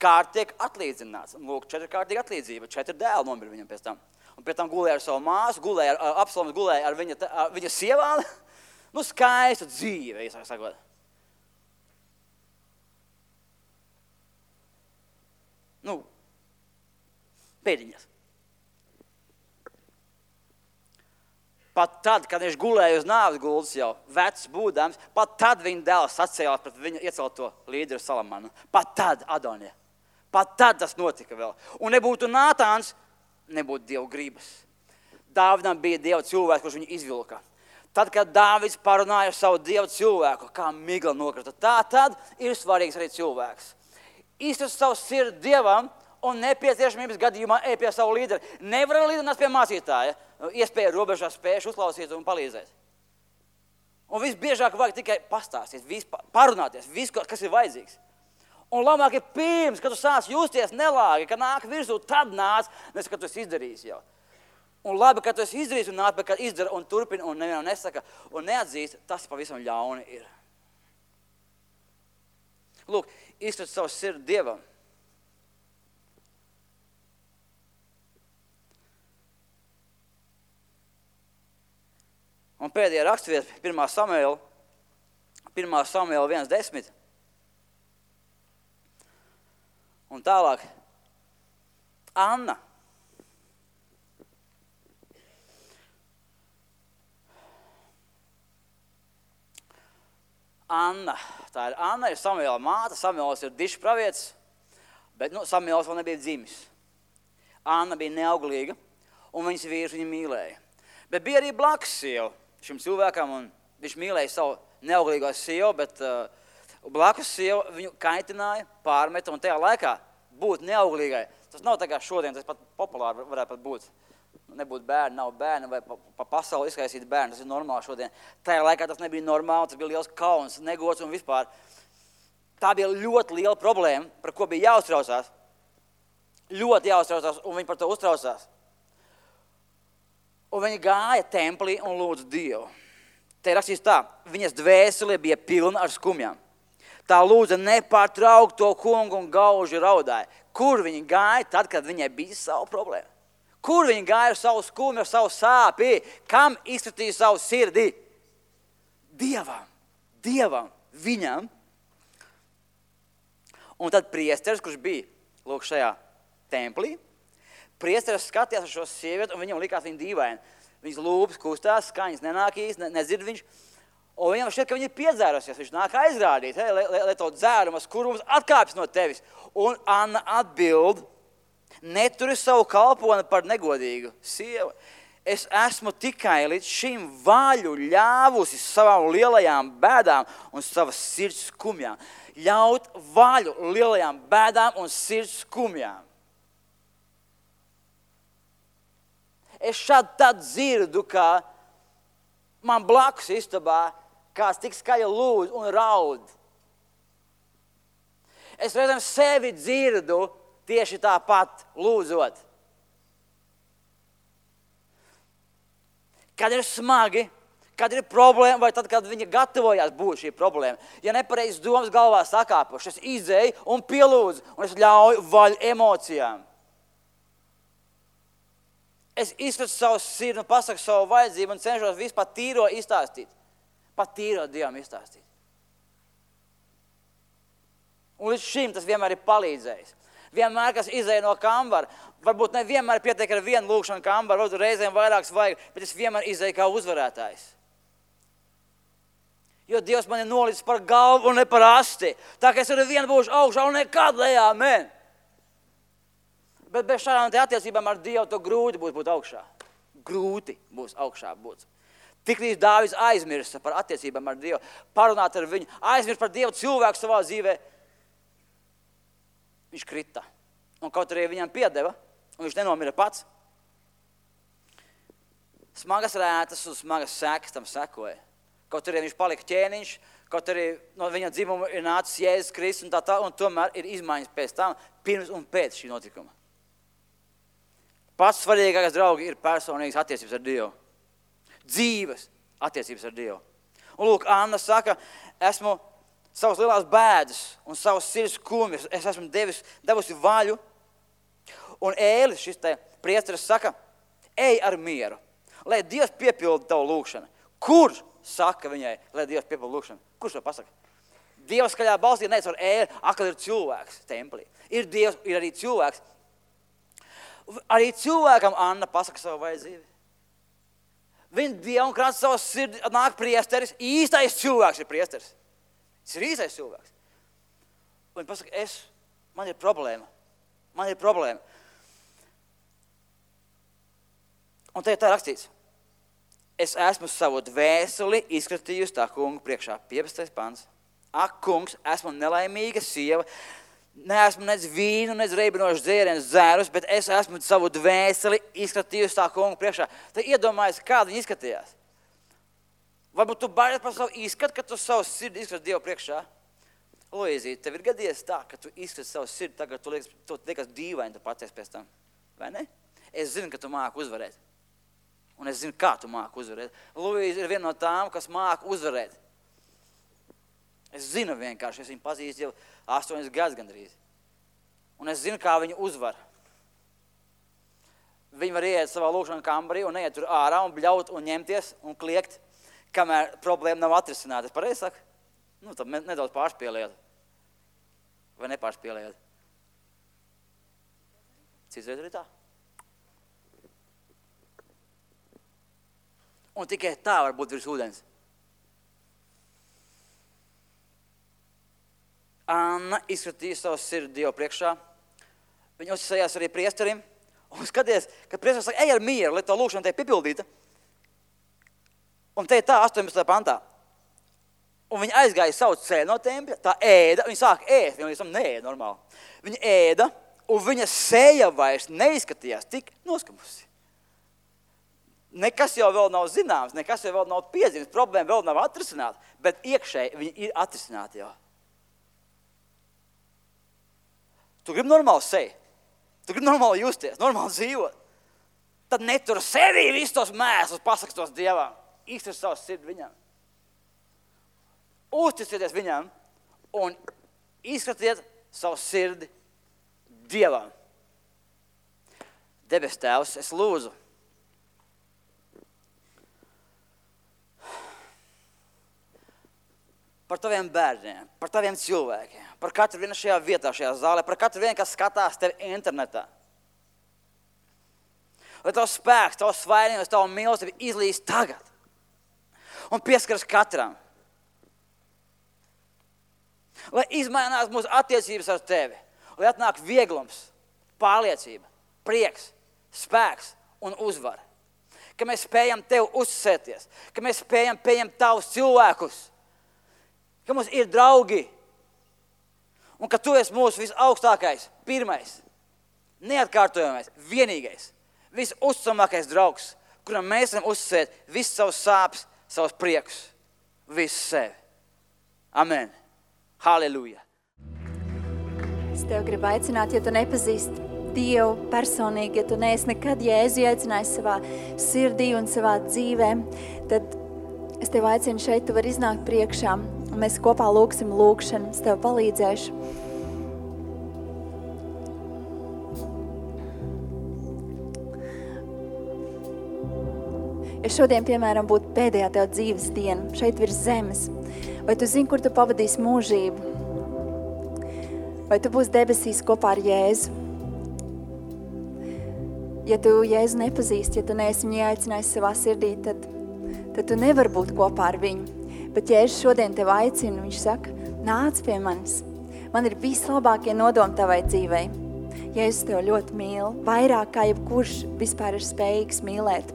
kārt tiek atlīdzināts. Un lūk, četri kārtīgi atlīdzība, četri dēli nomira viņam pēc tam. Un pēc tam gulēja ar savu māsu, gulēja ar, Absaloms gulēja ar viņa, ar viņa sievāli. Nu, skaista dzīve, īsāk sakot. Nu, pēdiņas. Pat tad, kad viņš gulēja uz nāves gultas jau, vecs būdams, pat tad viņa dēls sacēlās pret viņa iecelto līderu Salamanu. Pat tad, Adonija. Pat tad tas notika vēl. Un nebūtu Nātāns, nebūtu Dieva gribas. Dāvidam bija Dieva cilvēks, kurš viņu izvilka. Tad, kad Dāvids parunāja ar savu Dieva cilvēku, kā migla nokrita, tā tad ir svarīgs arī cilvēks. Izturst savu sirdi Dievam un nepieciešamības gadījumā ej pie savu līderi. Nevar līderināt pie mācītāja, iespēja robežā spējuši uzklausīt un palīdzēt. Un visbiežāk vajag tikai pastāstīt, vis, parunāties, visu, kas ir vajadzīgs. Un labāk ir pirms, kad tu sāc justies nelāgi, kad nāk virsū, tad nāc, nes, kad tu esi izdarījis jau. Un labi, ka tu esi izdarījis un nāk, bet kad izdara un turpina un nevienam nesaka un neatzīst, tas pavisam ļauni ir. Lūk, izturst savu sirdi Dievam. Un pēdējā rakstvieta, pirmā Samuēla, pirmā Samuēla viens desmit. Un tālāk, Anna. Anna. Tā ir Anna, ir Samuēla māte. Samuēls ir dišs pravietis, bet nu, Samuēls vēl nebija dzimis. Anna bija neauglīga, un viņas vīrs viņu mīlēja. Bet bija arī blakus sieva šim cilvēkam, un viņš mīlēja savu neauglīgo sievu, bet uh, blakus sieva viņu kaitināja, pārmeta, un tajā laikā būt neauglīgai. Tas nav tā kā šodien, tas pat populāri varētu pat būt. Nebūt bērni, nav bērni, vai pa, pa pasauli izskaisīt bērni, tas ir normāli šodien. Tajā laikā tas nebija normāli, tas bija liels kauns, negods un vispār. Tā bija ļoti liela problēma, par ko bija jāuztraucās. Ļoti jāuztraucās, un viņi par to uztraucās. Un viņi gāja templī un lūdza Dievu. Te rakstīs tā, viņas dvēsele bija pilna ar skumjām. Tā lūdza nepārtraukt to kungu un gauži raudāja. Kur viņi gāja tad, kad viņai bija savu problēmu? Kur viņi gāja ar savu skumju, ar savu sāpi? Kam izskatīja savu sirdi? Dievam. Dievam. Viņam. Un tad priesteris, kurš bija lūk šajā templī, priesteris skatījās ar šo sievieti, un viņam likās viņa dīvaini. Viņas lūpas kustās, skaņas nenākīs, ne, nezird viņš. Un viņam šķiet, ka viņa ir piedzērusies. Viņš nāk aizrādīt, hei, lai, lai to dzērumas, kurums atkāpjas no tevis. Un Anna atbild, neturi savu kalponi par negodīgu sievu. Es esmu tikai līdz šim vaļu ļāvusi savām lielajām bēdām un savas sirds skumjām. Ļaut vaļu lielajām bēdām un sirds skumjām. Es šādi tad dzirdu, ka man blakus istabā kāds tik skaļi lūdz un raud. Es reizēm sevi dzirdu tieši tāpat lūdzot. Kad ir smagi, kad ir problēma, vai tad, kad viņa gatavojās būt šī problēma. Ja nepareizas domas galvā sakāpuši, es izēju un pielūdzu, un es ļauju vaļu emocijām. Es izskatu savu sirdi un pasaku savu vajadzību un cenšos visu pat tīro izstāstīt. Pat tīro Dievam izstāstīt. Un līdz šim tas vienmēr ir palīdzējis. Vienmēr, kas izēja no kambara, varbūt ne vienmēr pietiek ar vienu lūkšanu kambaru, varbūt reizēm vairākas vajag, bet es vienmēr izēju kā uzvarētājs. Jo Dievs man ir nolicis par galvu un ne par asti. Tā kā es ar vienu būšu augšā un nekad lejā, amen. Bet bez šādām te attiecībām ar Dievu to grūti būs būt augšā. Grūti būs augšā būt. Tiklīdz Dāvids aizmirsa par attiecībām ar Dievu, parunāt ar viņu, aizmirst par Dievu cilvēku savā dzīvē, viņš krita. Un kaut arī viņam piedeva, un viņš nenomira pats. Smagas rētas un smagas sekas tam sekoja. Kaut arī viņš palika ķēniņš, kaut arī no viņa dzimuma ir nācis Jēzus Kristus, un tā tā, un tomēr ir izmaiņas pēc tam, pirms un pēc šī notikuma. Pats svarīgākais, draugi, ir personīgas attiecības ar Dievu. Dzīves attiecības ar Dievu. Un lūk, Anna saka, esmu savas lielās bēdas un savas sirds skumjas, es esmu devis, devusi vaļu. Un Ēlis, šis te priesteris, saka, ej ar mieru, lai Dievs piepilda tavu lūkšanu. Kurš saka viņai, lai Dievs piepilda lūkšanu? Kurš to pasaka? Dievs skaļā balsī neic ar Ēli, akal ir cilvēks templī. Ir Dievs, ir arī cilvēks. Arī cilvēkam Anna pasaka savu vajadzību. Viņa Dievu un krāt savu sirdi, nāk priesteris, īstais cilvēks ir priesteris. Tas ir īstais cilvēks. Un viņa pasaka, es, man ir problēma. Man ir problēma. Un te ir tā rakstīts. Es esmu savu dvēseli izskatījusi tā kunga priekšā. piecpadsmitais pants. Ak, kungs, esmu nelaimīga sieva. Neesmu nec vīnu, nec reibinošu dzērienu dzērus, bet es esmu savu dvēseli izskatījusi tā kunga priekšā. Tad iedomājies, kāda viņa izskatījās. Varbūt tu baidies par savu izskatu, ka tu savu sirdi izskati Dievu priekšā. Luīzīt, tev ir gadījies tā, ka tu izskati savu sirdi, tagad tu liekas, tu liekas dīvaini, tu paties pēc tam. Vai ne? Es zinu, ka tu māki uzvarēt. Un es zinu, kā tu māki uzvarēt. Luīza ir viena no tām, kas māki uzvarēt. Es zinu vienkārši, es viņu pazīstu jau astoņas gadus gandrīz. Un es zinu, kā viņu uzvar. Viņi var iet savā lūkšana kambarī un neiet tur ārā un bļaut un ņemties un kliegt, kamēr problēma nav atrisināta. Es pareizi saku? Nu, tad nedaudz pārspēlējot. Vai nepārspēlējot? Citreiz arī tā. Un tikai tā var būt virs ūdens. Anna izskatīja savu sirdi Dievu priekšā. Viņa uzsējās arī priesterim. Un skaties, kad priesteris saka, ej ar mieru, lai to lūkšana te piepildīta. Un te ir tā astoņpadsmitajā pantā. Un viņa aizgāja savu ceļu no tempļa, tā ēda, viņa sāka ēst, viņa līdz tam neēda normāli. Viņa ēda, un viņa seja vairs neizskatījās tik noskamusi. Nekas jau vēl nav zināms, nekas jau vēl nav piezīmes, problēma vēl nav atrisināta, bet iekšēji viņa ir atrisināta jau. Tu gribi normāli seju, tu gribi normāli justies, normāli dzīvot. Tad netur sevī visus tos mēslus, pasaka tos Dievam, iztur savu sirdi viņam. Uzticieties viņam un izskatiet savu sirdi Dievam. Debes Tēvs, es lūdzu, par taviem bērniem, par taviem cilvēkiem, par katru vienu šajā vietā, šajā zālē, par katru vienu, kas skatās tevi internetā. Lai tavs spēks, tavs svainības, tavu mīlestību izlīst tagad un pieskaras katram. Lai izmainās mūsu attiecības ar tevi, lai atnāk vieglums, pārliecība, prieks, spēks un uzvara. Ka mēs spējam tev uzsēties, ka mēs spējam pieņemt tavus cilvēkus, ka mums ir draugi un ka tu esi mūsu visaugstākais, pirmais, neatkārtojamais, vienīgais, visuzticamākais draugs, kuram mēs varam uzsēt visus savus sāpes, savus priekus, visu sevi. Amen. Halleluja. Es tev gribu aicināt, ja tu nepazīsti Dievu personīgi, ja tu neesi nekad Jēzu aicinājis savā sirdī un savā dzīvē, tad es tev aicinu šeit, tu vari iznākt priekšā un mēs kopā lūksim lūkšanu, es tev palīdzēšu. Ja šodien, piemēram, būtu pēdējā tev dzīves diena, šeit virs zemes, vai tu zini, kur tu pavadīsi mūžību? Vai tu būsi debesīs kopā ar Jēzu? Ja tu Jēzu nepazīsti, ja tu neesi viņu aicinājis savā sirdī, tad, tad tu nevar būt kopā ar viņu. Bet Jēzus šodien tev aicina, viņš saka, nāc pie manis. Man ir vislabākie nodomi tavai dzīvei. Jēzus tev ļoti mīl, vairāk kā jebkurš vispār ir spējīgs mīlēt.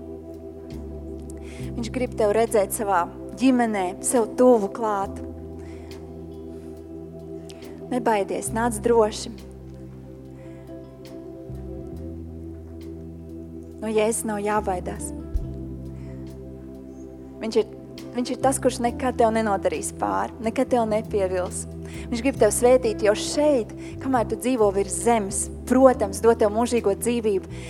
Viņš grib tev redzēt savā ģimenē, sev tuvu klāt. Nebaidies, nāc droši. No Jēzus nav jābaidās. Viņš ir, viņš ir tas, kurš nekad tev nenodarīs pāri, nekad tev nepievils. Viņš grib tev svētīt, jo šeit, kamēr tu dzīvo virs zemes, protams, dot tev mūžīgo dzīvību,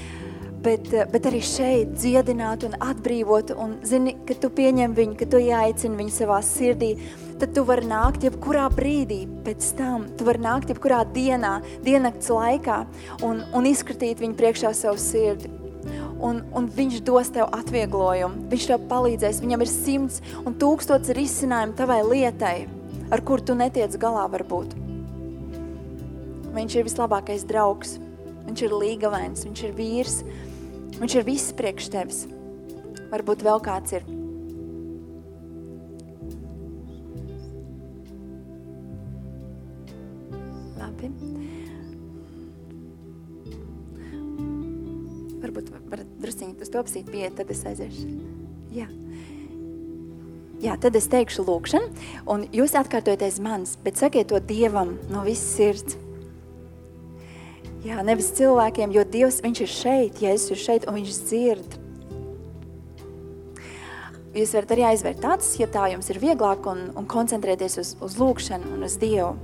Bet, bet arī šeit dziedināt un atbrīvot un zini, ka tu pieņem viņu, ka tu ieaicini viņu savā sirdī, tad tu vari nākt jebkurā brīdī pēc tam, tu vari nākt jebkurā dienā, diennakts laikā un, un izskatīt viņu priekšā savu sirdi. Un, un viņš dos tev atvieglojumu, viņš tev palīdzēs, viņam ir simts un tūkstots risinājumu tavai lietai, ar kur tu netiec galā varbūt. Viņš ir vislabākais draugs, viņš ir līgavains, viņš ir vīrs, viņš ir viss priekš tevis. Varbūt vēl kāds ir. Labi. Varbūt varat drusciņi uz to apsīt pieiet, tad es aiziešu. Jā. Jā, tad es teikšu lūkšanu, un jūs atkārtojaties manis, bet sakiet to Dievam no visas sirds. Jā, nevis cilvēkiem, jo Dievs, viņš ir šeit, Jēzus ir šeit, un viņš dzird. Jūs varat arī aizvērt acis, ja tā jums ir vieglāk, un, un koncentrēties uz, uz lūkšanu un uz Dievu.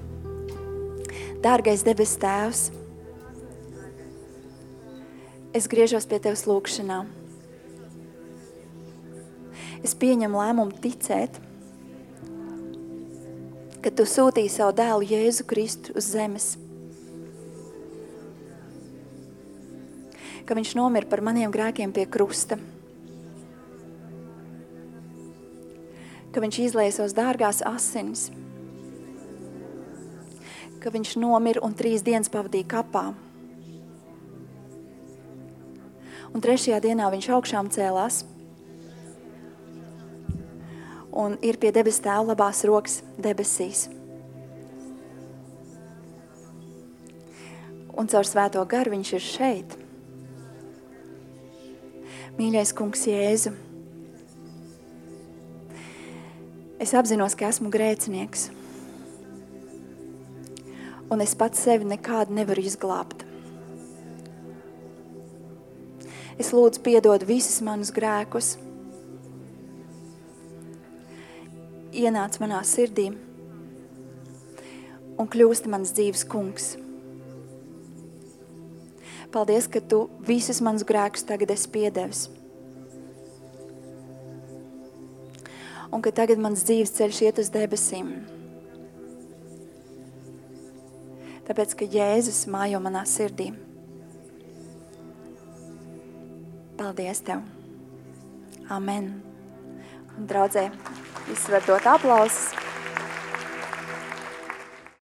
Dārgais debes Tēvs, es griežos pie Tevis lūkšanā. Es pieņemu lēmumu ticēt, ka Tu sūtīji savu dēlu Jēzu Kristu uz zemes. Ka viņš nomira par maniem grēkiem pie krusta. Ka viņš izlēja savas dārgās asinis. Ka viņš nomira un trīs dienas pavadīja kapā. Un trešajā dienā viņš augšām cēlās un ir pie debes Tēva labās rokas debesīs. Un caur svēto garu viņš ir šeit. Mīļais kungs Jēzu, es apzinos, ka esmu grēcinieks. Un es pats sevi nekādu nevaru izglābt. Es lūdzu piedod visus manus grēkus. Ienāc manā sirdī un kļūsti mans dzīves kungs. Paldies, ka Tu visus manus grēkus tagad esi piedevis. Un ka tagad mans dzīves ceļš iet uz debesīm. Tāpēc, ka Jēzus mājo manā sirdī. Paldies Tev. Amen. Un draudzē, visi var dot aplausus.